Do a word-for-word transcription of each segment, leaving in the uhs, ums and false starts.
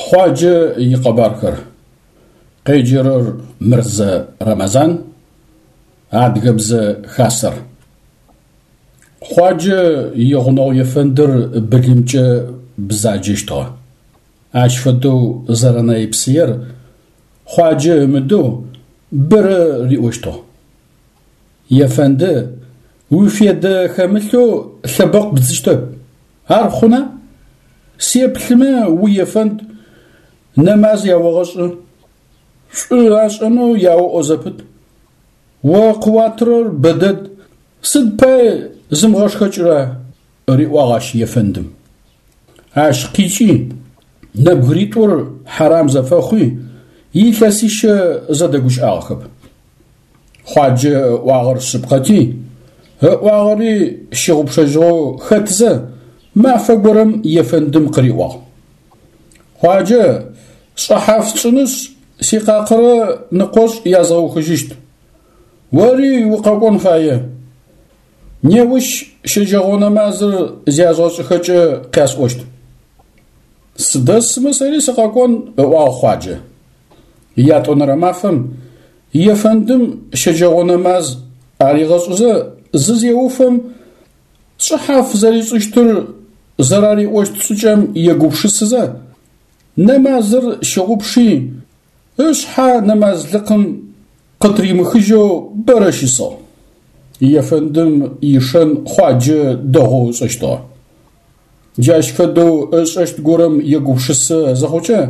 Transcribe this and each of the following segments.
Хъуаджэ икъэбархэр. Къеджэрэр Мырзэ Рэмэзан, Адыгэбзэ Хасэр. Хъуаджэ игъунэгъу ефэндыр былымкӏэ бзаджэщтыгъэ. Ащ фэдэу зэрэнэйпсыер Хъуаджэ ымыдэу бэрэ риӏощтыгъ. Ефэнды, уифедэ хэмылъэу лъэбэкъу бдзыщтэп. Ар хъуна? Сеплъымэ уефэнд, нэмаз яогъэшӏы. Шӏу ашӏэнэу яоӏо зэпыт. О къыуатырэр бэдэд, сыд пай зымыгъэшхэкӏыра? Риӏуагъ ащ ефэндым. Ащ къикӏи нэбгыритӏур хьарам зэфэхъуи, илъэсищэ зэдэгущыӏагъэхэп. Хъуаджэ ыӏуагъэр шъыпкъэти, ыӏуагъэри щыгъупшэжьыгъэу хэтзэ, мафэ горэм ефэндым къыриӏуагъ. Хъуаджэ, шӏыхьаф сшӏынышъ, сикъакъырэ ныкъошӏ язгъэухыжьыщт. Ори укъэкӏон фае. Неущ щэджэгъо нэмазыр зязгъэшӏыхэкӏэ къясӏощт. Сыдэсмэ сэри сыкъэкӏон, ыӏуагъ Хъуаджэ. Ятӏонэрэ мафэм ефэндым щэджэгъо нэмаз аригъэшӏызэ зызеуфэм, шӏыхьаф зэришӏыщтыр зэрариӏощт шӏыкӏэм егупшысызэ, нэмазыр щыгъупши, ышъхьэ нэмазлыкъым къытыримыхыжьэу бэрэ щысыгъ. Ефэндым ишэн Хъуаджэ дэгъоу ышӏэщтыгъэ. Джащ фэдэу ышӏэщт горэм егупшысэ зыхъукӏэ,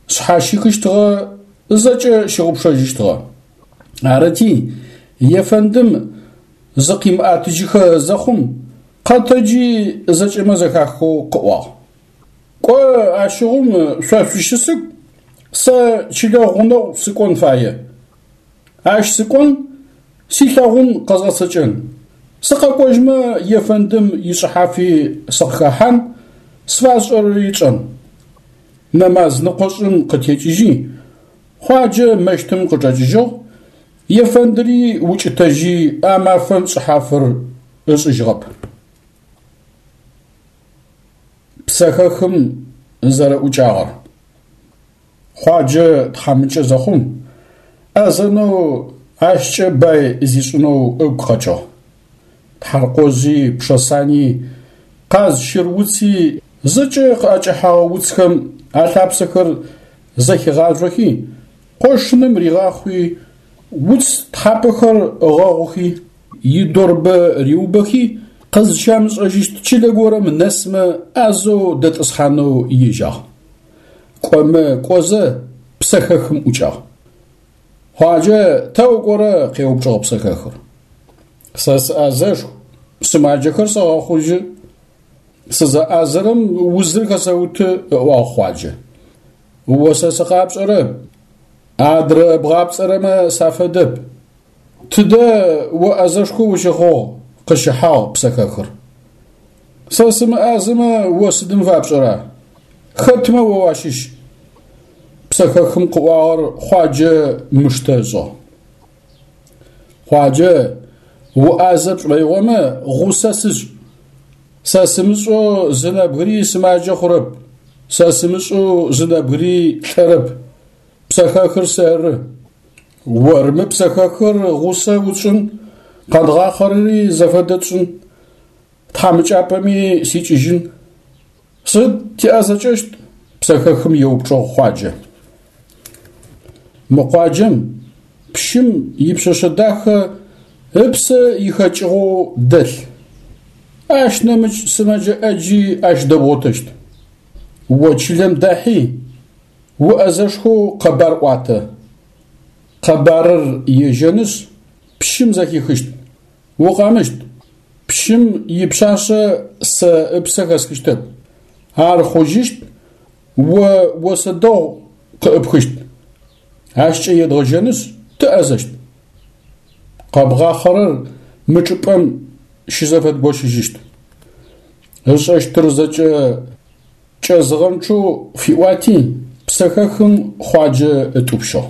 шъхьащихыщтыгъэ, зэкӏэ щыгъупшэжьыщтыгъэ. Арыти, ефэндым зыкъимыӏэтыжьыхэ зэхъум, къэтэджи зэкӏэмэ зэхахэу къыӏуагъ. Кӏо ащыгъум шъо шъущысыгу, сэ чылэ гъунэгъу сыкӏон фае. Ащ сыкӏон, силъэгъун къэзгъэцэкӏэн. Сыкъэкӏожьмэ ефэндым ишӏыхьафи сыкъыхэхьан, сфашӏэрэри тшӏэн. Нэмаз ныкъошӏым къытекӏыжьи, Хъуаджэ мэщтым къычӏэкӏыжьыгъ, ефэндыри укӏытэжьи а мафэм шӏыхьафыр ышӏыжьыгъэп. Псэхэхым зэрэӏукӏагъэр. Хъуаджэ тхьамыкӏэ зэхъум, ӏэзэнэу ащкӏэ бай зишӏынэу ыгу къэкӏыгъ. Тхьаркъожъи, пшэсани, къаз щыр уци зэкӏэ къыӏэкӏэхьэгъэ уцхэм алъапсэхэр зэхигъажъохи, къошыным ригъахъуи, уц тхьапэхэр ыгъэгъухи, идорбэ риубэхи, къызщамышӏэжьыщт чылэ горэм нэсмэ ӏазэу дэтӏысхьанэу ежьагъ. Кӏомэ кӏозэ псэхэхым ӏукӏагъ. Хъуаджэ, тэ укӏорэ? Къеупчӏыгъ псэхэхыр. Сэ сыӏазэшху, сымаджэхэр сэгъэхъужьы. Сызэӏазэрэм узыр хэсэуты, ыӏуагъ Хъуаджэ. О сэ сыкъапшӏэрэп, адрэ бгъапцӏэрэмэ сафэдэп. Тыдэ о ӏазэшхо ущыхъугъ, къыщыхьагъ псэхэхыр. Сэ сымыӏазэмэ о сыдым фапшӏэра? Хэтмэ о уащыщ? Псэхэхым къыӏуагъэр Хъуаджэ мыштэ ышӏыгъ. Хъуаджэ, уӏазэ пшӏоигъомэ гъусэ сышӏ. Сэ сымышӏэу зы нэбгыри сымаджэ хъурэп, сэ сымышӏэу зы нэбгыри лӏэрэп. Псэхэхыр сэры. Ормы псэхэхыр гъусэ утшӏын, къэдгъахъэрэри зэфэдэ тшӏын, тхьамыкӏапӏэми сикӏыжьын. Сыд тиӏэзэкӏэщт? Псэхэхым еупчӏыгъ Хъуаджэ. Мы къуаджэм пщым ипшъэшъэ дахэ ыпсэ ихэкӏыгъэу дэлъ. Ащ нэмыкӏ сымэджэ ӏэджи ащ дэбгъотэщт. О чылэм дахьи, уӏэзэшхоу къэбар ӏуатэ. Къэбарыр ежьэнышъ, пщым зэхихыщт. Укъэмыщт. Пщым ипшъашъэ сэ ыпсэ хэсхыщтэп. Ар хъужьыщт, о осэ дэгъу къыӏыпхыщт. Ащкӏэ едгъэжьэнышъ, тыӏэзэщт. Къэбгъахъэрэр мы чӏыпӏэм щызэфэдгощыжьыщт. Ышӏэщтыр зэкӏэ кӏэзыгъэнчъэу фиӏуати, псэхэхым Хъуаджэ ытӏупщыгъ.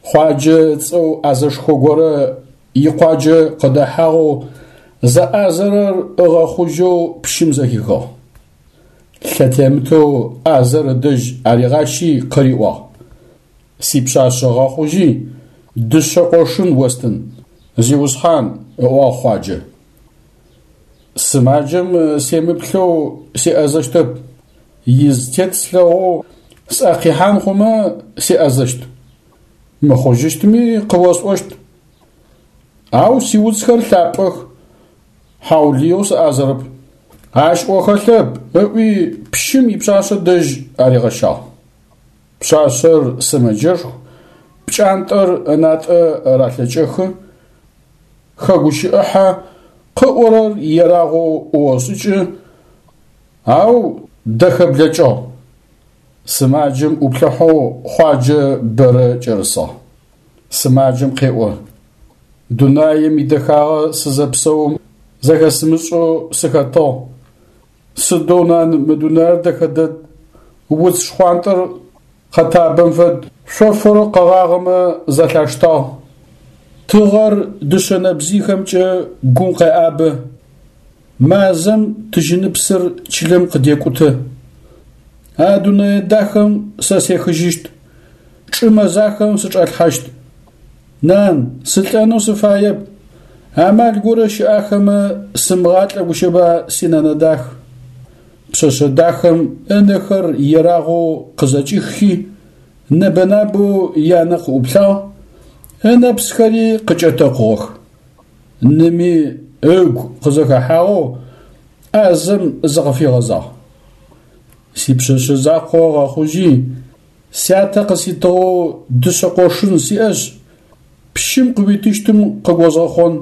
Хъуаджэ ыцӏэу ӏазэшхо горэ икъуаджэ къыдэхьагъэу зэӏазэрэр ыгъэхъужьэу пщым зэхихыгъ. Лъэтемытэу ӏазэр ыдэжь аригъащи къыриӏуагъ: «Сипшъашъэ гъэхъужьи, дышъэ къошын остын, зиусхьан», – ыӏуагъ Хъуаджэ. Сымаджэм семыплъэу сеӏэзэщтэп, изытет слъэгъоу сӏэ къихьан хъумэ сеӏэзэщт. Мыхъужьыщтми къыосӏощт. Ау сиуцхэр лъапӏэх, хьаулыеу сыӏазэрэп. Ащ ӏо хэлъэп, ыӏуи пщым ипшъашъэ дэжь аригъэщагъ. Пшъашъэр сымэджэшху, пкӏантӏэр ынатӏэ ралъэкӏэхы, хэгущыӏыхьэ, къыӏорэр ерагъоу ӏуошӏыкӏы, ау дэхэ блэкӏыгъ. Сымаджэм ӏуплъыхьэу Хъуаджэ бэрэ кӏэрысыгъ. Сымаджэм къеӏо: «Дунаим идэхагъэ сызэпсэум зэхэсымышӏэу сыхэтыгъ. Сыдэу, нан, мы дунаир дэхэ дэд, уц шхъуантӏэр къэтабэм фэд, шъофыр къэгъагъэмэ зэлъаштагъ. Тыгъэр дышъэ нэбзыйхэмкӏэ гум къеӏабэ. Мазэм тыжьыныпсыр чылэм къыдекӏутэ. А дунэе дахэм сэ сехыжьыщт, чӏы мэзахэм сычӏалъхьащт. Нан, сылӏэнэу сыфаеп, амал горэ щыӏахэмэ сымыгъалӏэ гущэба синэнэ дах». Пшъэшъэ дахэм ынэхэр ерагъэу къызэкӏиххи, нэбэ-набэу янэ къыӏуплъагъ, ынэпсхэри къыкӏэтэкъугъэх. Ными ыгу къызэхэхьагъэу ӏазэм зыкъыфигъэзагъ: «Сипшъэшъэ закъо гъэхъужьи, сятэ къыситыгъэу дышъэ къошын сиӏэшъ, пщым къыуитыщтым къыгозгъэхъон,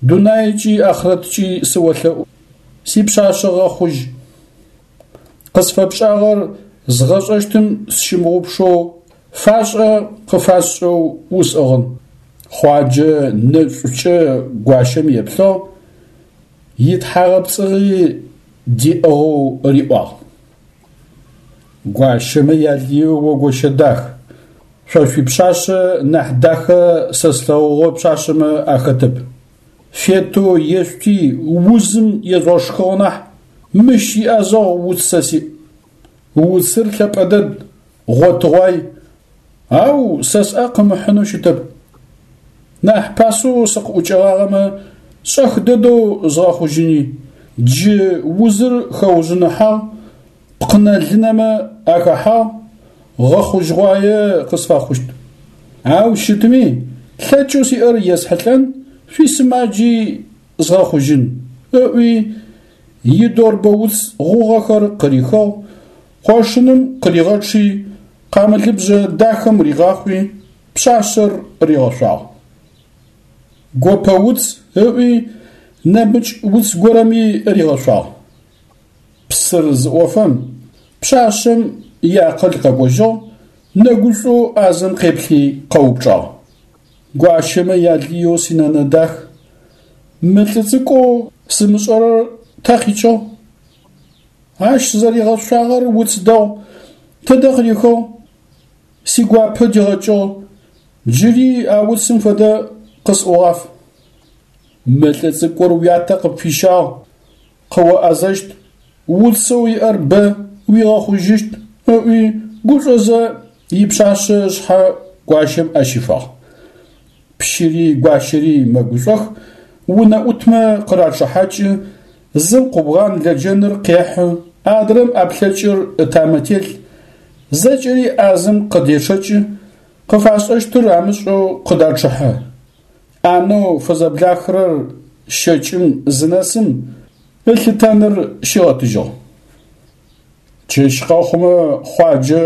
дунаекӏи ахърэткӏи сыолъэӏу, сипшъашъэ гъэхъужь. Къысфэпшӏагъэр згъэшӏэщтым сщымыгъупшэу фашӏэ къыфасшӏэу усӏыгъын». Хъуаджэ нэшӏукӏэ гуащэм еплъыгъ, итхьагъэпцӏыгъи диӏыгъэу риӏуагъ: «Гуащэмэ ялыеу о гощэ дах, шъо шъуипшъашъэ нахь дахэ сэ слъэгъугъэ пшъашъэмэ ахэтэп. Фетэу ешъути узым ежъугъэшхыгъ нахь, мыщ иӏэзэгъу уц сэ сиӏ. Уцыр лъэпӏэ дэд, гъотыгъуай, ау сэ сӏэ къымыхьынэу щытэп. Нахь пасэу сыкъыӏукӏэгъагъэмэ, шӏэх дэдэу згъэхъужьыни. Джы узыр хэужъыныхьагъ, пкъынэ-лынэмэ ахэхьагъ, гъэхъужьыгъуае къысфэхъущт. Ау щытми, лъэкӏэу сиӏэр есхьылӏэн, шъуисымаджи згъэхъужьын», ыӏуи идорбэ уц гъугъэхэр къырихыгъ, къошыным къыригъэчъи, къамылыбжъэ дахэм ригъахъуи, пшъашъэр ригъэшъуагъ. Гопэ уц ыӏуи, нэмыкӏ уц горэми ригъэшъуагъ. Псыр зыӏофэм, пшъашъэм иакъыл къэкӏожьыгъ, нэгушӏоу ӏазэм къеплъи къэупчӏагъ: «Гуащэмэ ялыеу синэнэ дах, мы лӏы цӏыкӏоу сымышӏэрэр тэ къикӏыгъ? Ащ сызэригъэшъуагъэр уц дэгъу, тыдэ къырихыгъ? Сигуапэ дигъэкӏыгъ, джыри а уцым фэдэ къысӏугъаф. Мы лӏы цӏыкӏур уятэ къыпфищагъ, къыоӏэзэщт, уцэу иӏэр бэ, уигъэхъужьыщт», ыӏуи гушӏозэ ипшъашъэ ышъхьэ гуащэм ӏэ щифагъ. Пщыри гуащэри мэгушӏох, унэӏутмэ къырачъыхьакӏы, зым къубгъан лэджэныр къехьы, адрэм ӏэплъэкӏыр ытамэ телъ, зэкӏэри ӏазэм къыдечъэкӏы, къыфашӏэщтыр амышӏэу къыдачъыхьэ. ӏанэу фызэблахырэр щэкӏым зынэсым ылъытэныр щигъэтыжьыгъ. Чэщ къэхъумэ Хъуаджэ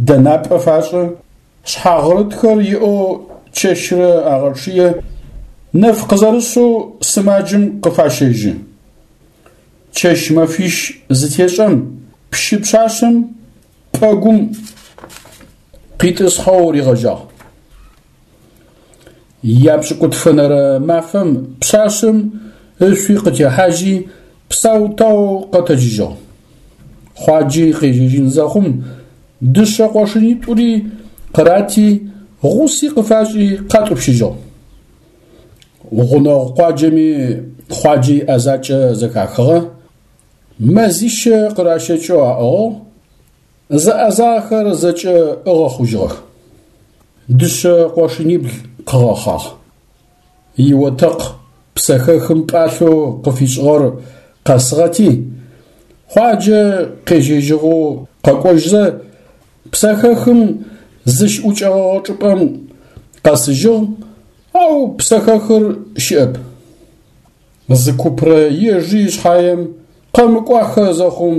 дэнапӏэ фашӏы, шъхьагърытхэр иӏэу чэщрэ агъэчъые, нэф къызэрышъэу сымаджэм къыфащэжьы. Чэщ-мэфищ зытешӏэм пщы пшъашъэм пӏэгум къитӏысхьэу ригъэжьагъ. Япшӏыкӏутфэнэрэ мафэм пшъашъэм ышъуи къытехьажьи, псау-тау къэтэджыжьыгъ. Хъуаджи къежьэжьын зэхъум, дышъэ къошынитӏури къырати, гъуси къыфашӏи къатӏупщыжьыгъ. Гъунэгъу къуаджэми Хъуаджэ иӏэзакӏэ зэхахыгъэ, Мэзищэ къыращэкӏэу аӏыгъыгъ, зэӏэзагъэхэр зэкӏэ ыгъэхъужьыгъэх. Дышъэ къошынибл къыгъэхъагъ. Иотэкъ псэхэхым пӏалъэу къыфишӏыгъэр къэсыгъэти, Хъуаджэ къежьэжьыгъэу къэкӏожьзэ, псэхэхым зыщыӏукӏэгъэгъэ чӏыпӏэм къэсыжьыгъ, ау псэхэхыр щыӏэп. Зы купрэ ежи шъхьаем къэмыкӏуахэ зэхъум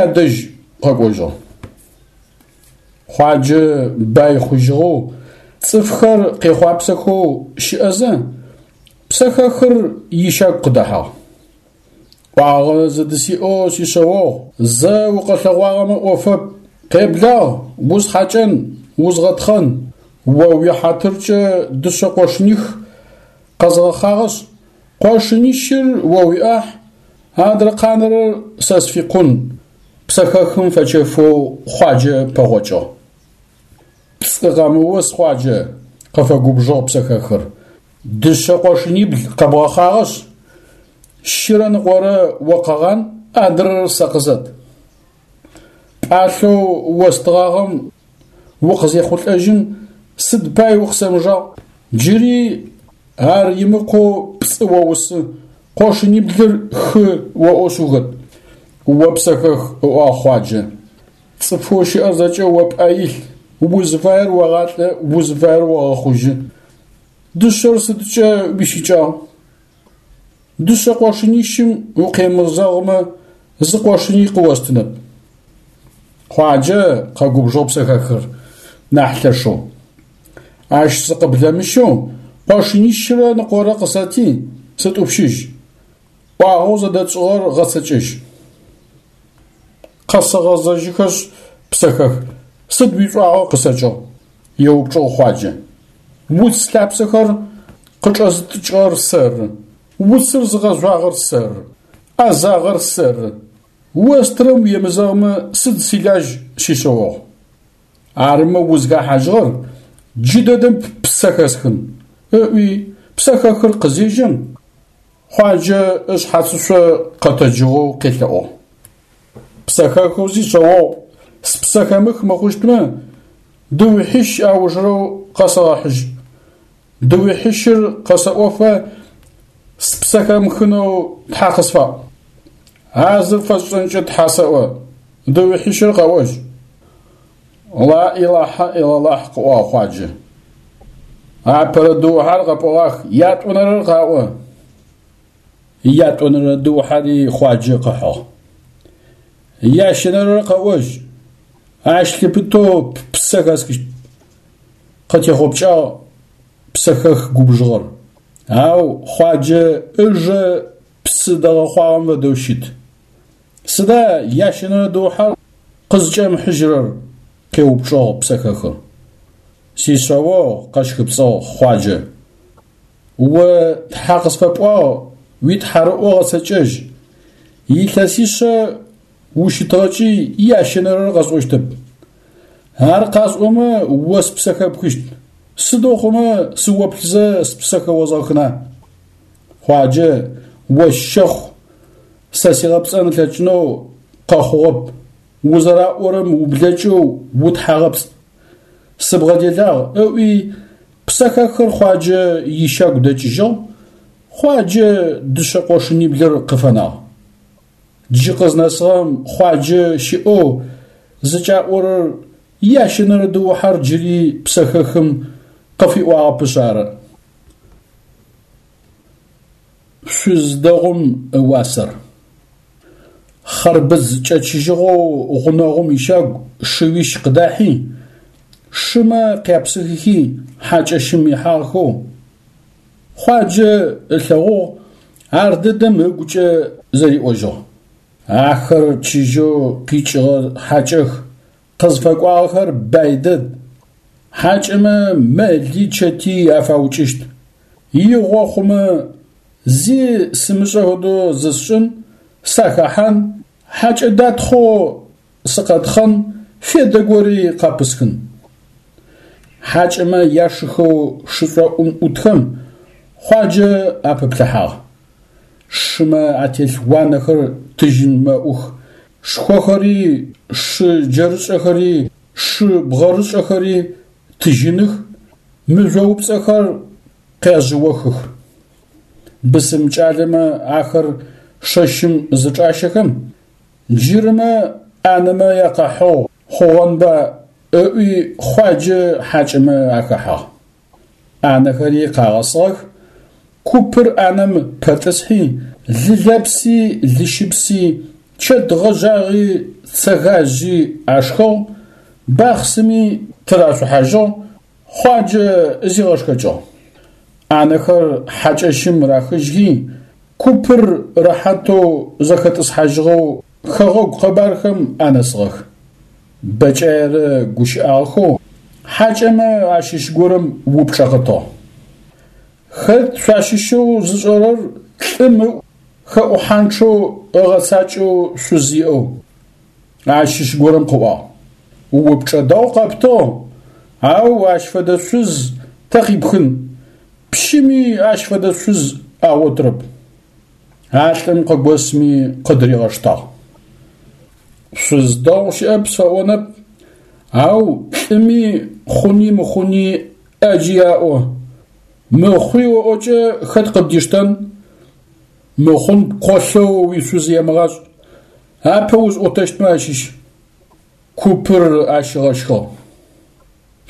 ядэжь къэкӏожьыгъ. Хъуаджэ бай хъужьыгъэу, цӏыфхэр къехъуапсэхэу щыӏэзэ, псэхэхыр ищагу къыдэхьагъ. Ӏуагъэ зыдысиӏэу сишъэогъу, зэ укъэлъэгъуагъэмэ ӏофэп, къеблагъ, усхьакӏэн, узгъэтхъэн. О уихьатыркӏэ дышъэ къошыних къэзгъэхъагъэшъ, къошынищыр о уиӏахь, адрэ къанэрэр сэ сфикъун, псэхэхым фэчэфэу Хъуаджэ пэгъокӏыгъ. Пцӏы къэмыус, Хъуаджэ, къыфэгубжыгъ псэхэхыр. Дышъэ къошынибл къэбгъэхъагъэшъ, щырэ ныкъорэ о къэгъан, адрэр сэ къызэт. Пӏалъэу остыгъагъэм укъызехъулӏэжьым сыд пай укъысэмыжагъ? Джыри ар имыкъоу пцӏы оусы, къошыниблыр хы оӏошъ ухэт. О псэхэх, ыӏуагъ Хъуаджэ. Цӏыфэу щыӏэр зэкӏэ о пӏэ илъ, узыфаер огъалӏэ, узыфаер огъэхъужьы. Дышъэр сыдкӏэ уищыкӏагъ? Дышъэ къошынищым укъемызэгъмэ, зы къошыни къыостынэп. Хъуаджэ къэгубжыгъ псэхэхыр нахь лъэшэу. Ащ сыкъыблэмыщэу къошынищрэ ныкъорэ къысэти, сытӏупщыжь. Ӏуагъэу зэдэтшӏыгъэр гъэцэкӏэжь. Къэсэгъэзэжьыхэшъ, псэхэх, сыд уишӏуагъэ къысэкӏыгъ? Еупчӏыгъ Хъуаджэ. Уц лъапсэхэр къычӏэзытӏыкӏыгъэр сэры, уцыр зыгъэжъуагъэр сэры, ӏэзагъэр сэры. Остырэм уемызэгъмэ сыд силажь сишъэогъу? Арымэ узхахьажьыгъэр джыдэдэм ппсэ хэсхын, ыӏуи псэхэхыр къызежьэм, Хъуаджэ ышъхьацышъо къэтэджыгъэу къелъэӏугъ. Псэхэхэу сишъэогъу, спсэ хэмых мыхъущтмэ, дыухьищ аужырэу къэсэгъэхьыжь. Дыухьищыр къэсэӏофэ спсэ хэмыхынэу Тхьэ къысфаӏу. А зыр фэсшӏэнкӏэ Тхьэ сэӏо, дыухьищыр къэӏожь. Ла илахьа илалахь, къыӏуагъ Хъуаджэ. Апэрэ дыухьэр къэпӏогъах, ятӏонэрэр къаӏо. Ятӏонэрэ дыухьэри Хъуаджэ къыхьыгъ. Ящэнэрэр къэӏожь, ащ лъыпытэу ппсэ хэсхыщт. Къытехъопкӏагъ псэхэх губжыгъэр. Ау Хъуаджэ ыжэ псы дэгъэхъуагъэм фэдэу щыт. Сыда ящэнэрэ дыухьэр къызкӏэмыхьыжьырэр? Къеупчӏыгъ псэхэхыр. Сишъэогъу къэщхыпцӏыгъ Хъуаджэ. О Тхьэ къысфэпӏуагъ, уитхьарыӏо гъэцэкӏэжь. Илъэсишъэ ущытыгъэкӏи ящэнэрэр къэсӏощтэп. Ар къасӏомэ о спсэ хэпхыщт. Сыдэу хъумэ сыоплъызэ спсэ хэозгъэхына? Хъуаджэ, о щэхъу, сэ сигъэпцӏэн ылъэкӏынэу къэхъугъэп. Узэраӏорэм ублэкӏэу утхьагъэпцӏ. Сыбгъэделагъ, ыӏуи псэхэхыр Хъуаджэ ищагу дэкӏыжьыгъ, Хъуаджэ дышъэ къошыниблыр къыфэнагъ. Джы къызнэсыгъэм Хъуаджэ щыӏэу зыкӏаӏорэр ящэнэрэ дыухьэр джыри псэхэхым къыфиӏуагъэпышъ ары. Шъуз дэгъум ыуасэр. Хъэрбыдз кӏэчыжьыгъэу гъунэгъум ищагу шыуищ къыдахьи, шымэ къяпсыхыхи хьакӏэщым ихьагъэхэу, Хъуаджэ ылъэгъугъ, ар дэдэм ыгукӏэ зэриӏожьыгъ. Ахэр чыжьэу къикӏыгъэ хьакӏэх, къызфэкӏуагъэхэр бай дэд. Хьакӏэмэ мэли чэти афаукӏыщт. Игъо хъумэ, зи сымышӏэ фэдэу зысшӏын, сахэхьан, хьакӏэ датхъэу сыкъэтхъэн, федэ гори къапысхын. Хьакӏэмэ яшыхэу шышӏоӏум ӏутхэм Хъуаджэ апыплъыхьагъ. Шымэ ателъ уанэхэр тыжьын мэӏух, шхохэри, шы джэрышӏэхэри, шы бгъэрышӏэхэри тыжьыных, мыжъоупцӏэхэр къяжъыохых. Бысым кӏалэмэ ахэр шэщым зычӏащэхэм, джырымэ ӏанэмэ якъэхьыгъу хъугъэнба ыӏуи Хъуаджэ хьакӏэмэ ахэхьагъ. ӏанэхэри къагъэсыгъэх, купыр ӏанэм пэтӏысхьи, лы лэпси, лы щыпси, чэт гъэжъагъи, цэгажъи ашхыгъ, бахъсыми тырашъухьажьыгъ, Хъуаджэ зигъэшхэкӏыгъ. ӏанэхэр хьакӏэщым рахыжьхи, купыр рэхьатэу зэхэтӏысхьажьыгъэу хэгъэгу къэбархэм анэсыгъэх. Бэкӏаерэ гущыӏагъэхэу хьакӏэмэ ащыщ горэм упчӏэ къытыгъ. Хэт шъуащыщэу зышӏэрэр лӏым ыӏу хэӏухьанчъэу ыгъэцакӏэу шъуз иӏэу? Ащыщ горэм къыӏуагъ: Упчӏэ дэгъу къэптыгъ, ау ащ фэдэ шъуз тэ къипхын, пщыми ащ фэдэ шъуз агъотырэп. А лӏым къыгосми къыдыригъэштагъ. Шъуз дэгъу щыӏэп сфэӏонэп, ау лӏыми хъуни мыхъуни ӏэджи аӏо. Мыхъуи оӏокӏэ хэт къыбдиштэн? Мыхъун пкъолъэу уишъуз емыгъашӏ, апэ узӏотэщтмэ ащыщ. Купыр ащ ыгъэщхыгъ.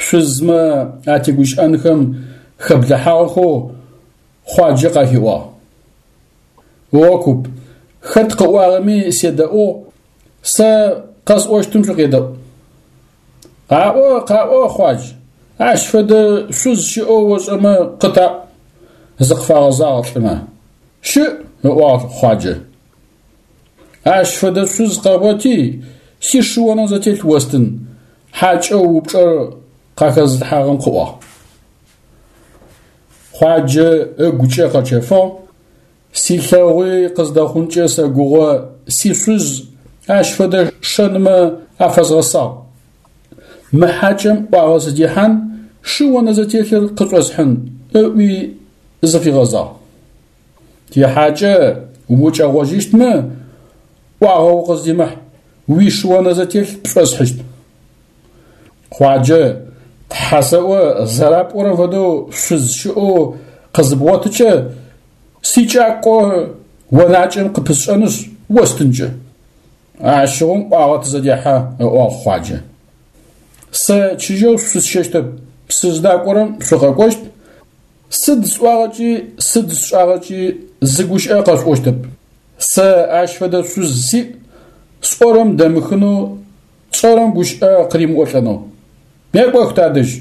Шъузмэ атегущыӏэнхэм хэблэхьагъэхэу Хъуаджэ къахиӏуагъ. О куп, хэт къыӏуагъэми седэӏугъ, сэ къэсӏощтым шъукъедэӏу. Къаӏо, къаӏо, Хъуадж, ащ фэдэ шъуз щыӏэу ошӏэмэ къытаӏу, зыкъыфагъэзагъ лӏымэ. Щыӏ, ыӏуагъ Хъуаджэ. Ащ фэдэ шъуз къэгъоти, сишыонэ зэтелъ остын, хьакӏэу упчӏэр къахэзылъхьагъэм къыӏуагъ. Хъуаджэ ыгукӏэ къэчэфыгъ, силъэгъуи къыздэхъункӏэ сэгугъо сишъуз ащ фэдэ шэнмэ афэзгъэсагъ. Мы хьакӏэм ӏуагъэ сыдихьан, шыонэ зэтелъыр къышӏосхьын, ыӏуи зыфигъэзагъ. Тихьакӏэ укӏэгъожьыщтмэ, ӏуагъэ укъыздимыхь, уишыонэ зэтелъ пшӏосхьыщт. Хъуаджэ, Тхьэ сэӏо зэрапӏорэм фэдэу шъуз щыӏэу къызыбгъотыкӏэ, сикӏакӏо онакӏэм къыпысшӏэнышъ, остынкӏэ. Ащыгъум ӏуагъэ тызэдехьэ, ыӏуагъ Хъуаджэ. Сэ чыжьэу шъусщэщтэп, сыздакӏорэм шъукъэкӏощт, сыд сӏуагъэкӏи, сыд сшӏагъэкӏи зы гущыӏэ къэшъуӏощтэп. Сэ ащ фэдэ шъуз сиӏ, сӏорэм дэмыхынэу, тшӏэрэм гущыӏэ къыримыӏолӏэнэу. Некӏох тадэжь.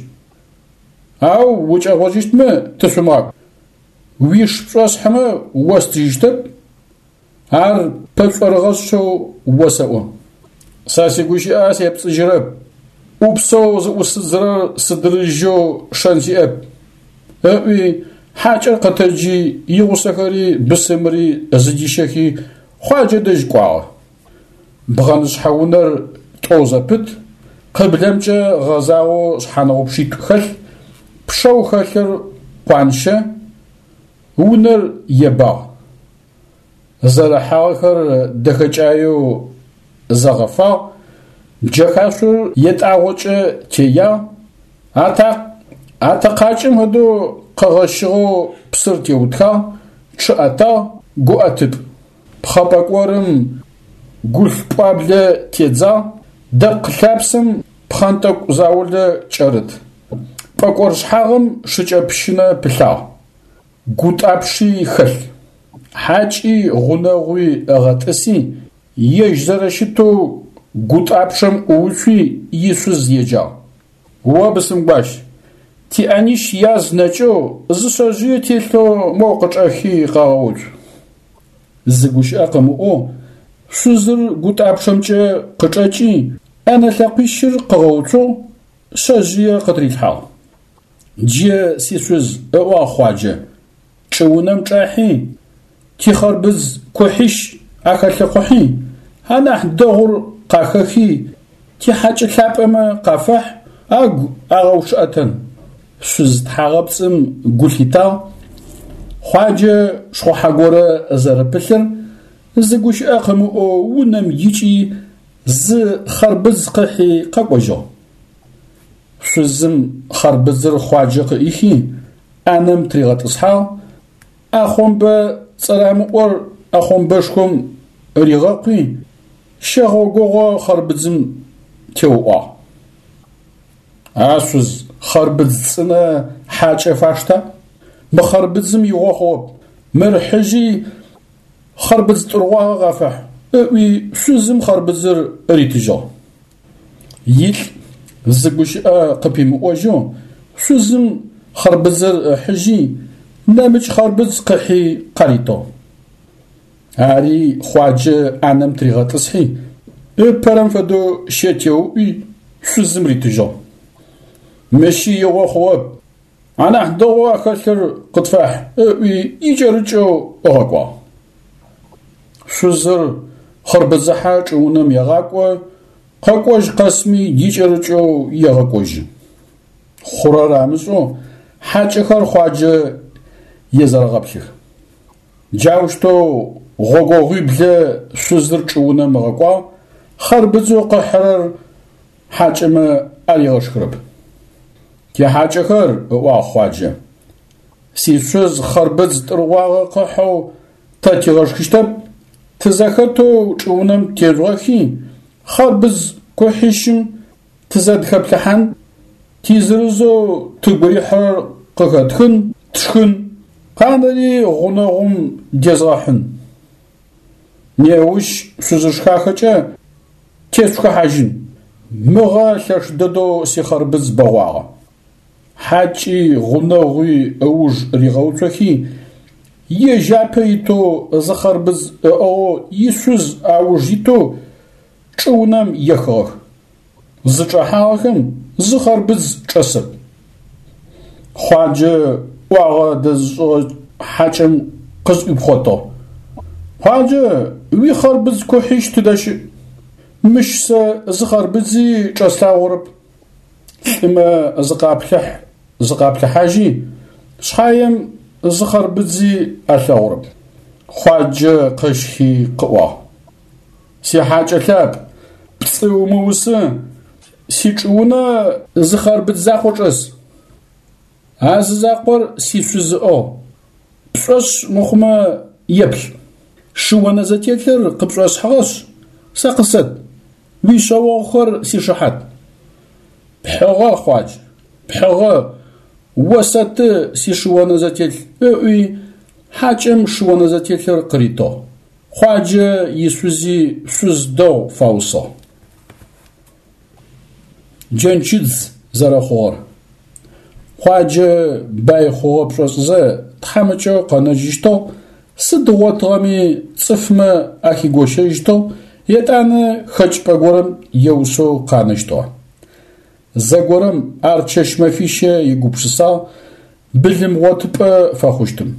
Ау укӏэгъожьыщтмэ тышъумыгъакӏу. Уиш пшӏосхьымэ остыжьыщтэп, ар пэшӏорыгъэшъэу осэӏо. Сэ сигущыӏэ сепцӏыжьырэп, ӏупсэу зыӏусыдзырэр сыдырыжьэу шэн сиӏэп, ыӏуи хьакӏэр къэтэджи игъусэхэри бысымри зыдищэхи Хъуаджэ дэжь кӏуагъэ. Бгъэнышъхьэ унэр тӏоу зэпыт, къыблэмкӏэ гъэзагъэу шъхьаныгъупчъитӏу хэлъ, пчъэу хэлъыр къуанщэ, унэр ебагъ. Зэрыхьагъэхэр дэхэкӏаеу зэгъэфагъ, джэхашъор етӏагъокӏэ теягъ, атакъ атэкъакӏэм фэдэу къэгъэщыгъэу псыр теутхагъ, чъыӏэтагъ, гуӏэтыпӏ. Пхъэ пӏэкӏорым гулъ пӏуаблэ тедзагъ, дэпкъ лъапсэм пхъэнтӏэкӏу заулэ кӏэрыт. Пӏэкӏор шъхьагъым шыкӏэпщынэ пылъагъ, гутӏапши хэлъ. Хьакӏи гъунэгъуи ыгъэтӏыси, ежь зэрэщытэу гутӏапчъэм ӏууцуи ишъуз еджагъ. О бысымгуащ, тиӏэнищ яз нэкӏэу зы шъэжъые телъэу моу къычӏэхи къэгъэуцу. Зы гущыӏэ къымыӏоу шъузыр гутӏапчъэмкӏэ къычӏэкӏи, ӏэнэ лъэкъуищыр къыгъэуцугъ, шъэжъые къытырилъхьагъ. Джы сишъуз, ыӏуагъ Хъуаджэ, чӏыунэм чӏахьи, тихъэрбыз кухьищ ахэлъыхъухьи, анахь дэгъур къахэхи, тихьакӏэ лъапӏэмэ къафэхь, агу агъэучъыӏэтэн. Шъуз тхьагъэпцӏым гу лъитагъ, Хъуаджэ шхъухьэ горэ зэрэпылъыр зы гущыӏэ къымыӏоу унэм икӏи зы хъэрбыдз къыхьи къэкӏожьыгъ. Шъузым хъэрбыдзыр Хъуаджэ къыӏихи ӏанэм тыригъэтӏысхьагъ, ӏэхъомбэ цӏэрамыӏор ӏэхъомбэшхом ригъэкъуи, щэгъогогъо хъэрбыдзым теуӏуагъ. А шъуз, хъэрбыдз цӏынэ хьакӏэ фашта? Мы хъэрбыдзым игъо хъугъэп, мыр хьыжьи хъэрбыдз тӏыргъуагъэ къафэхь, ыӏуи шъузым хъэрбыдзыр ритыжьыгъ. Илӏ зы гущыӏэ къыпимыӏожьэу шъузым хъэрбыдзыр ыхьыжьи, нэмыкӏ хъэрбыдз къыхьи къаритыгъ. Ари Хъуаджэ ӏанэм тыригъэтӏысхьи, ыпэрэм фэдэу щэ теуӏуи шъузым ритыжьыгъ. Мыщи игъо хъугъэп, анахь дэгъоу ахэлъыр къытфахь, ыӏуи икӏэрыкӏэу ыгъэкӏуагъ. Шъузыр хъэрбыдзыхьэ чӏыунэм егъакӏо, къэкӏожь къэсми икӏэрыкӏэу егъэкӏожьы. Хъурэр амышӏэу хьакӏэхэр Хъуаджэ езэрэгъэплъых. Джаущтэу гъогогъуиблэ шъузыр чӏыунэм ыгъэкӏуагъ, хъэрбыдзэу къыхьырэр хьакӏэмэ аригъэшхырэп. Тихьакӏэхэр, ыӏуагъ Хъуаджэ, сишъуз хъэрбыдз тӏыргъуагъэ къыхьэу тэ тигъэшхыщтэп, тызэхэтэу чӏыунэм тежъугъэхи, хъэрбыдз кухьищым тызэдхэплъыхьан, тизырызэу тыгу рихьырэр къыхэтхын, тшхын, къанэри гъунэгъум дезгъэхьын. Неущ шъузышхахэкӏэ тешъухыхьажьын. Мыгъэ лъэш дэдэу сихъэрбыдз бэгъуагъэ. Хьакӏи гъунэгъуи ыуж ригъэуцохи, ежь апэ итэу зы хъэрбыдз ыӏыгъэу ишъуз ауж итэу чӏыунэм ехыгъэх. Зычӏэхьагъэхэм зы хъэрбыдз чӏэсэп. Хъуаджэ ӏуагъэ дэзышӏыгъэ хьакӏэм къызӏуипхъотыгъ. Хъуаджэ, уихъэрбыдз кухьищ тыдэ щыӏ? Мыщ сэ зы хъэрбыдзи чӏэслъагъорэп. Лӏымэ зыкъаплъыхь зыкъаплъыхьажьи, шъхьаем зы хъэрбыдзи алъэгъурэп. Хъуаджэ къэщхи къыӏуагъ: Сихьакӏэ лъапӏ, пцӏы умыусы, сичӏыунэ зы хъэрбыдз закъо чӏэс. А зы закъор сишъуз ыӏыгъ. Пшӏошъ мыхъумэ еплъ. Шыонэзэтелъыр къыпшӏосхьыгъэшъ, сэ къысэт, уишъэогъухэр сишыхьат. Пхьыгъэ, Хъуадж, пхьыгъэ, осэты сишыонэзэтелъ, ыӏуи хьакӏэм шыонэзэтелъыр къыритыгъ. Хъуаджэ ишъузи шъуз дэгъу фаусыгъ. Джэнчыдз зэрэхъугъэр. Хъуаджэ бай хъугъэ пшӏошӏызэ тхьамыкӏэу къэнэжьыщтыгъ, сыд ыгъотыгъэми цӏыфмэ ахигощэжьыщтыгъ, етӏанэ хэкӏыпӏэ горэм еусэу къанэщтыгъэ. Зэгорэм ар чэщ-мэфищэ егупшысагъ былымгъотыпӏэ фэхъущтым.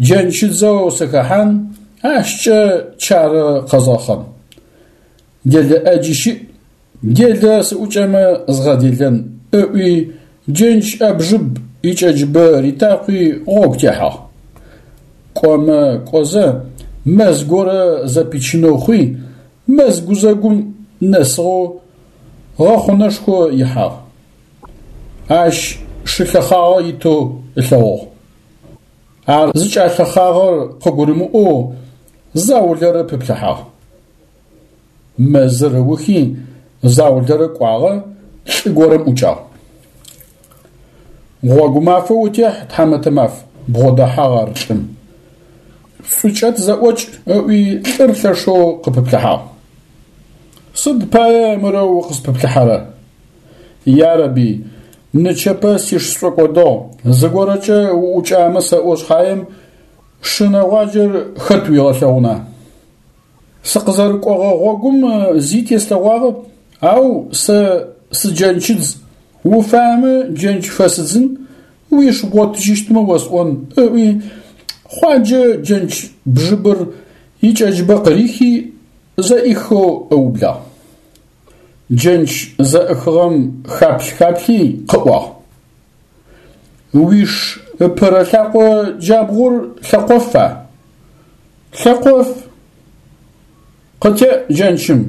Джэнчыдзэу сыхэхьан, ащкӏэ чарэ къэзгъэхъэн. Делэ ӏэджи щыӏ, делэ сыӏукӏэмэ згъэделэн, ыӏуи джэнч ӏэбжыб икӏэджыбэ ритакъуи гъогу техьагъ. Кӏомэ кӏозэ мэз горэ зэпичынэу хъуи, мэз гузэгум нэсыгъэу гъэхъунэшхо ихьагъ. Ащ шы лъэхъагъэ итэу ылъэгъугъ. Ар зыкӏалъэхъагъэр къыгурымыӏоу заулэрэ пыплъыхьагъ. Мэзыр ыухи заулэрэ кӏуагъэ, лӏы горэм ӏукӏагъ. Гъогу мафэ утехь, тхьамэтэ маф, бгъодэхьагъ ар лӏым. Шӏукӏэ тызэӏокӏ, ыӏуи лӏыр лъэшэу къыпыплъыхьагъ. Сыд пае мырэу укъыспыплъыхьэрэ? Ярэби, нычэпэ сиш сшӏокӏодыгъ, зыгорэкӏэ уӏукӏамэ сэӏо шъхьаем шы нэгъуаджэр хэт уигъэлъэгъуна? Сыкъызэрыкӏогъэ гъогум зи теслъэгъуагъэп, ау сэ сыджэнчыдз, уфаемэ джэнч фэсыдзын, уиш бгъотыжьыщтмэ осӏон, ыӏуи Хъуаджэ джэнч бжыбыр икӏэджыбэ къырихи зэӏихэу ыублагъ. Джэнч зэӏыхыгъэм хаплъ-хаплъи къыӏуагъ: Уиш ыпэрэ лъакъо джабгъур лъэкъофа? Лъэкъоф. Къытеӏ джэнчым.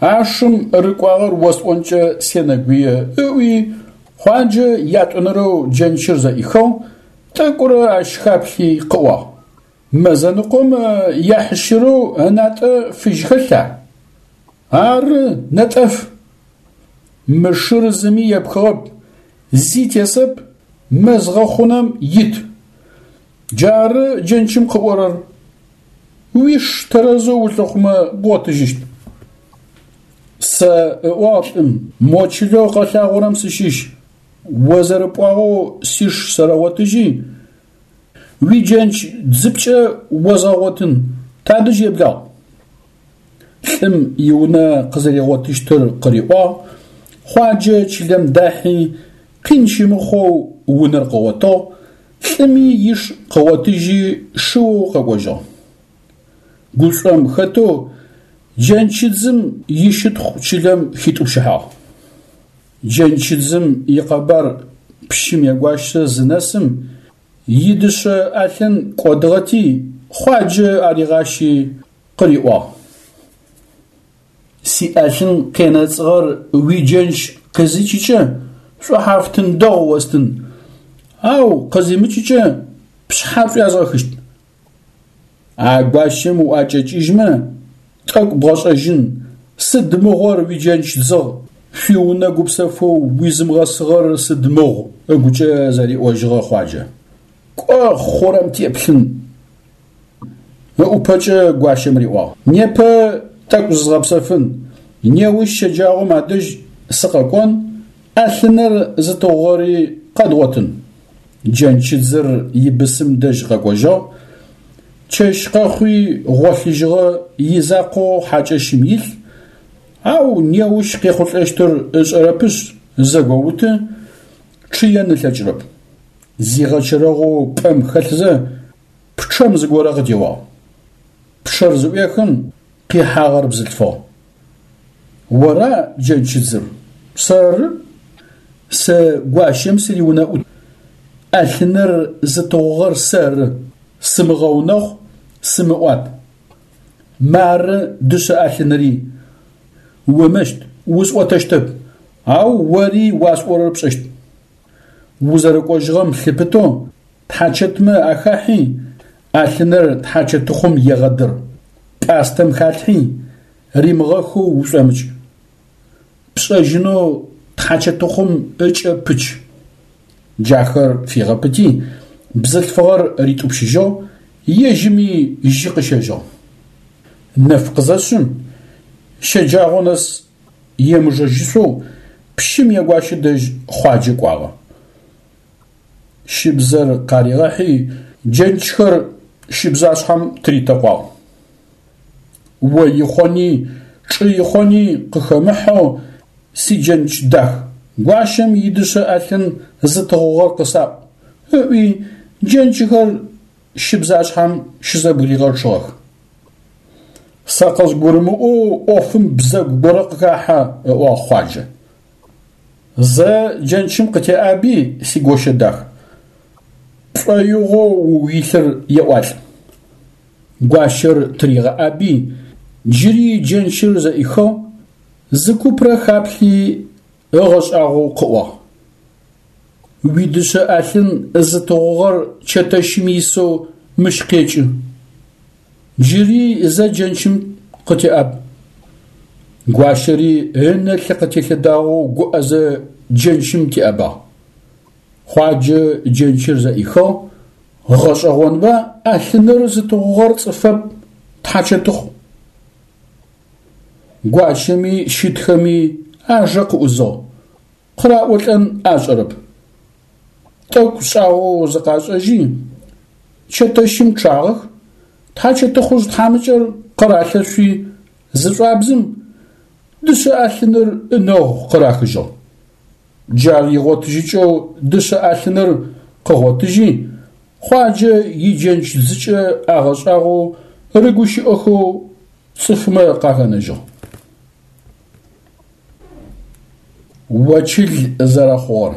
А шым рыкӏуагъэр осӏонкӏэ сенэгуе, ыӏуи Хъуаджэ ятӏонэрэу джэнчыр зэӏихыгъ, тӏэкӏурэ ащ хаплъи къыӏуагъ: Мэзэныкъом ехьыщырэу ынатӏэ фыжь хэлъа? Ары, нэтӏэф. Мы шыр зыми епхыгъэп, зи тесэп, мэз гъэхъунэм ит. Джары джэнчым къыӏорэр. Уиш тэрэзэу улъыхъумэ бгъотыжьыщт. Сэ, ыӏуагъ лӏым, мо чылэу къэлъагъорэм сыщыщ. О зэрэпӏуагъэу сиш сэрэгъотыжьи, уиджэнч дзыпкӏэ озгъэгъотын, тадэжь еблагъ. Лӏым иунэ къызэригъотыщтыр къыриӏуагъ, Хъуаджэ чылэм дахьи, къин щымыхъоу унэр къыгъотыгъ, лӏыми иш къыгъотыжьи шыоу къэкӏожьыгъ. Гушӏом хэтэу джэнчыдзым ищытхъу чылэм хитӏупщыхьагъ. Джэнчыдзым икъэбар пщым ягуащэ зынэсым, идышъэ ӏэлъын кӏодыгъэти, Хъуаджэ аригъащи къыриӏуагъ: Сиӏэлъын къенэцӏыгъэр уиджэнч къызикӏыкӏэ шӏухьафтын дэгъу остын, ау къызимыкӏыкӏэ пшъхьэ пшӏуязгъэхыщт. А гуащэм уӏэкӏэкӏыжьмэ, тӏэкӏу бгъэшӏэжьын, сыд мыгъор уиджэнч дзыгъ, шъуиунэ гупсэфэу уизымыгъэсыгъэр сыд мыгъу, ыгукӏэ зэриӏожьыгъэ Хъуаджэ. Кӏо хъурэм теплъын. Ыӏупэкӏэ гуащэм риӏуагъ: Непэ тӏэкӏу зызгъэпсэфын, неущ щэджагъом адэжь сыкъэкӏон, ӏэлъыныр зытыгъугъэри къэдгъотын. Джэнчыдзыр ибысым дэжь къэкӏожьыгъ, чэщ къэхъуи гъолъыжьыгъэ изакъоу хьакӏэщым илъ, ау неущ къехъулӏэщтыр ышӏэрэпышъ зэгоуты, чъыен ылъэкӏырэп. Зигъэчэрэгъоу пӏэм хэлъзэ пчъэм зыгорэ къытеуагъ. Пчъэр зыӏуехым къихьагъэр бзылъфыгъ. Ора джэнчыдзыр? Сэры. Сэ гуащэм сыриунэӏут. ӏэлъыныр зытыгъугъэр сэры. Сымыгъэунэхъу, сымыӏуат. Мары дышъэ ӏэлъыныри. Умыщт, усӏотэщтэп, ау ори уасӏорэр пшӏэщт. Узэрэкӏожьыгъэм лъыпытэу тхьачэтмэ ахахьи, ӏэлъыныр тхьачэтыхъум егъэдыр, пӏастэм халъхьи, римыгъэхэу ушӏомыкӏ. Пшӏэжьынэу тхьачэтыхъум ыкӏэ пыч. Джахэр фигъэпыти, бзылъфыгъэр ритӏупщыжьыгъ, ежьыми жьы къыщэжьыгъ. Нэф къызэшъым, щэджагъо нэс емыжэжьышъоу пщым ягуащэ дэжь Хъуаджэ кӏуагъэ. Щыбзэр къаригъэхьи, джэнчхэр щыбзашъхьэм тыритэкъуагъ. О ихъони, чӏы ихъони къыхэмыхьэу сиджэнч дах, гуащэм идышъэ ӏэлъын зытыгъугъэр къысаӏу, ыӏуи джэнчхэр щыбзашъхьэм щызэбгыригъэчъыгъэх. Сэ къызгурымыӏоу ӏофым бзэгу горэ къыхахьэ, ыӏуагъ Хъуаджэ. Зэ джэнчым къытеӏаби, сигощэ дах, пшӏоигъоу угу илъыр еӏуалӏ. Гуащэр тыригъэӏаби, джыри джэнчыр зэӏихыгъ, зы купрэ хаплъи ыгъэшӏагъоу къыӏуагъ: Уидышъэ ӏэлъын зытыгъугъэр чэтэщым исэу мыщ къекӏы. Джыри зэ джэнчым къытеӏаб. Гуащэри ынэ лъы къытелъэдагъэу гуӏэзэ джэнчым теӏэбагъ. Хъуаджэ джэнчыр зэӏихыгъ, гъэшӏэгъонба ӏэлъыныр зытыгъугъэр цӏыфэп, тхьачэтыхъу. Гуащэми щытхэми ажэ къыӏузыгъ, къыраӏолӏэн ашӏэрэп. Тӏэкӏу шӏагъэу зыкъашӏэжьи, чэтэщым чъагъэх, тхьачэтыхъужъ тхьамыкӏэр къыралъэшъуи зышӏуабзым, дышъэ ӏэлъыныр ынэгъу къырахыжьыгъ. Джар игъотыжьыкӏэу дышъэ ӏэлъыныр къыгъотыжьи, Хъуаджэ иджэнч дзыкӏэ агъэшӏагъоу рыгущыӏэхэу цӏыфмэ къахэнэжьыгъ. Очыл зэрэхъугъэр.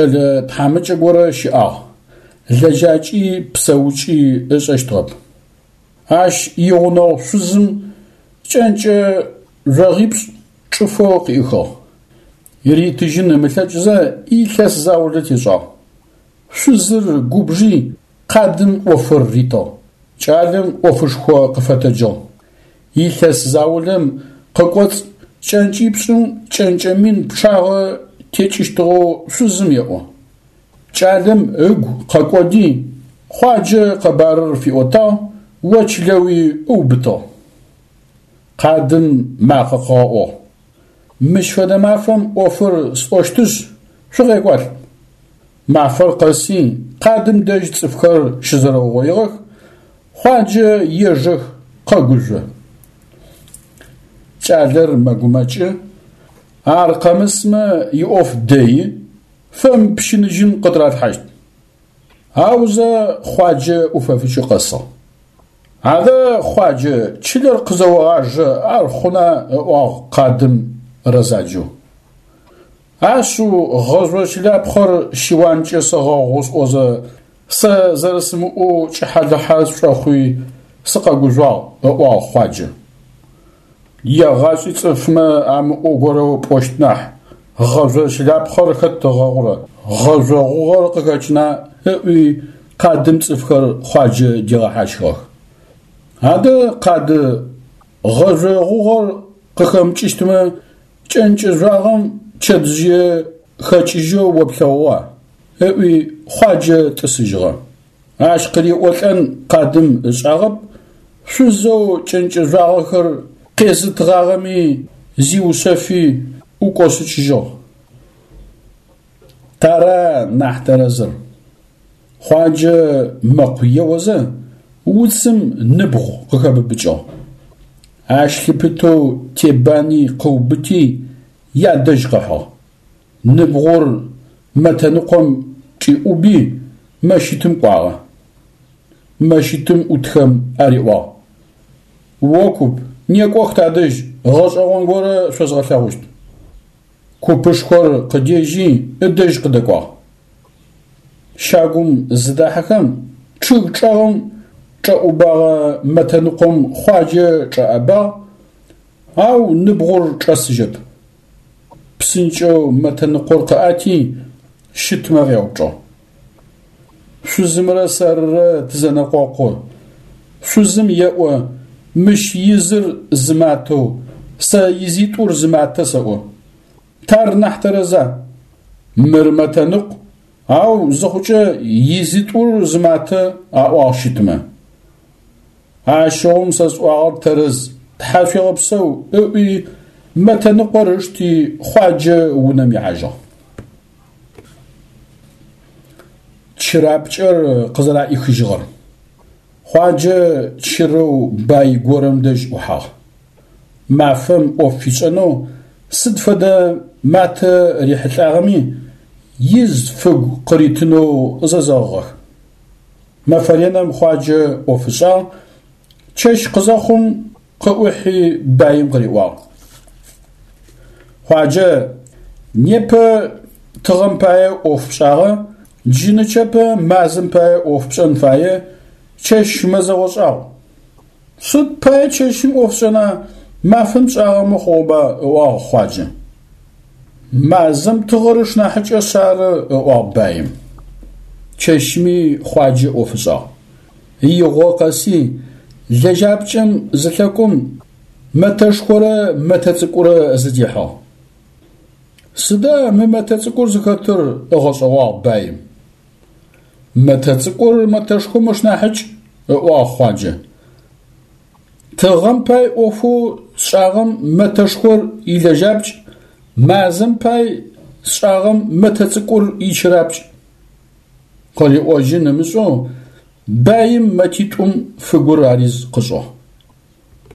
кӏэлэ тхьамыкӏэ горэ щыӏагъ, лэжьакӏи псэукӏи ышӏэщтыгъэп. Ащ игъунэгъу шъузым кӏэнкӏэ жъогъипшӏ чӏыфэу къыӏихыгъ. Ритыжьын ымылъэкӏызэ илъэс заулэ тешӏагъ. Шъузыр губжи къадым ӏофыр ритыгъ. Кӏалэм ӏофышхо къыфэтэджыгъ. Илъэс заулэм къыкӏоцӏ кӏэнкӏипшӏым кӏэнкӏэ мин пчъагъэ текӏыщтыгъэу шъузым еӏо. Кӏалэм ыгу къэкӏоди, Хъуаджэ къэбарыр фиӏотагъ, очылэуи ыубытыгъ. Къадым макъэ къыгъэӏугъ: Мыщ фэдэ мафэм ӏофыр сӏощтышъ, шъукъекӏуалӏ. Мафэр къэси, къадым дэжь цӏыфхэр щызэрэугъоигъэх, Хъуаджэ ежэх, къэгужъо. Кӏалэр мэгумэкӏы, ар къэмысмэ иӏоф дэи, фэмыпщыныжьын къытыралъхьащт. Аузэ Хъуаджэ ӏуфэфыкӏи къэсыгъ. Адэ, Хъуаджэ, чылэр къызэогъажэ, ар хъуна, ыӏуагъ къадым рэзаджэу. Ашъыу гъэжъо чылапхъэр щыуанкӏэ сэгъэгъу сӏозэ, сэ зэрэсымыӏоу кӏыхьэ-лыхьэ сшӏохъуи сыкъэгужъуагъ, ыӏуагъ Хъуаджэ. Егъашӏи цӏыфмэ амыӏоу горэ пӏощт нахь, гъэжъо чылапхъэр хэт ыгъэгъурэ, гъэжъо гъугъэр къыхэкӏына, ыӏуи къадым цӏыфхэр Хъуаджэ дигъэхьащхыгъэх. Адэ, къады, гъэжъо гъугъэр къыхэмыкӏыщтмэ, кӏэнкӏэ жъуагъэм чэтжъые хэкӏыжьэу о плъэгъугъа? Ыӏуи Хъуаджэ тӏысыжьыгъэ. Ащ къыриӏолӏэн къадым ышӏагъэп, шъузэу кӏэнкӏэ жъуагъэхэр къезытыгъагъэми зиушъэфи ӏукӏошъыкӏыжьыгъ. Тара нахь тэрэзыр? Хъуаджэ мэкъу еозэ, уцым ныбгъу къыхэбыбыкӏыгъ. Ащ лъыпытэу тебани къыубыти, ядэжь къыхьыгъ. Ныбгъур мэтэныкъом кӏиӏуби, мэщытым кӏуагъэ. Мэщытым ӏутхэм ариӏуагъ: О куп, некӏох тадэжь, гъэшӏэгъон горэ шъозгъэлъэгъущт. Купышхор къыдежьи, ыдэжь къыдэкӏуагъ. Щагум зыдахьэхэм, чъыг чӏэгъым чӏэӏубэгъэ мэтэныкъом Хъуаджэ чӏэӏэбагъ, ау ныбгъур чӏэсыжьэп. Псынкӏэу мэтэныкъор къыӏэти, щытмэ къяупчӏыгъ: Шъузымрэ сэрырэ тызэнэкъокъу. Шъузым еӏо мыщ изыр зы матэу, сэ изитӏур зы матэ сэӏо. Тар нахь тэрэза? Мыр мэтэныкъу, ау зыхъукӏэ изитӏур зы матэ, аӏуагъ щытмэ. Ащыгъум сэ сӏуагъэр тэрэз, тхьашъуегъэпсэу, ыӏуи мэтэныкъор ышти Хъуаджэ унэм ихьажьыгъ. Чырапкӏэр къызэраӏихыжьыгъэр. Хъуаджэ чырэу бай горэм дэжь ӏухьагъ. Мафэм ӏоф фишӏэнэу сыд фэдэ матэ рихьылӏагъэми, из фыгу къыритынэу зэзэгъыгъэх. Мэфэ ренэм Хъуаджэ ӏоф ышӏагъ, чэщ къызэхъум къыӏухьи баим къыриӏуагъ: Хъуаджэ, непэ тыгъэм пае ӏоф пшӏагъэ, джы нычэпэ мазэм пае ӏоф пшӏэн фае, чэщ мэзэгъо шӏагъу. Сыд пае чэщым ӏоф сшӏэна, мафэм пшӏагъэмэ хъугъэба, ыӏуагъ Хъуаджэ. Мазэм тыгъэр ышнахьыкӏэшъ ары, ыӏуагъ баим. Чэщми Хъуаджэ ӏоф ышӏагъ. Игъо къэси, лэжьапкӏэм зылъэкӏом мэтэшхорэ мэтэ цӏыкӏурэ зыдихьыгъ. Сыда мы мэтэ цӏыкӏур зыхэтыр? Ыгъэшӏэгъуагъ баим. Мэтэ цӏыкӏур мэтэшхом ышнахьыкӏ, ыӏуагъ Хъуаджэ. Тыгъэм пай ӏофэу сшӏагъэм мэтэшхор илэжьапкӏ, мазэм пай сшӏагъэм мэтэ цӏыкӏур ичырапкӏ. Къыриӏожьын ымышӏэу баим мэтитӏум фыгур ариз къышӏыгъ.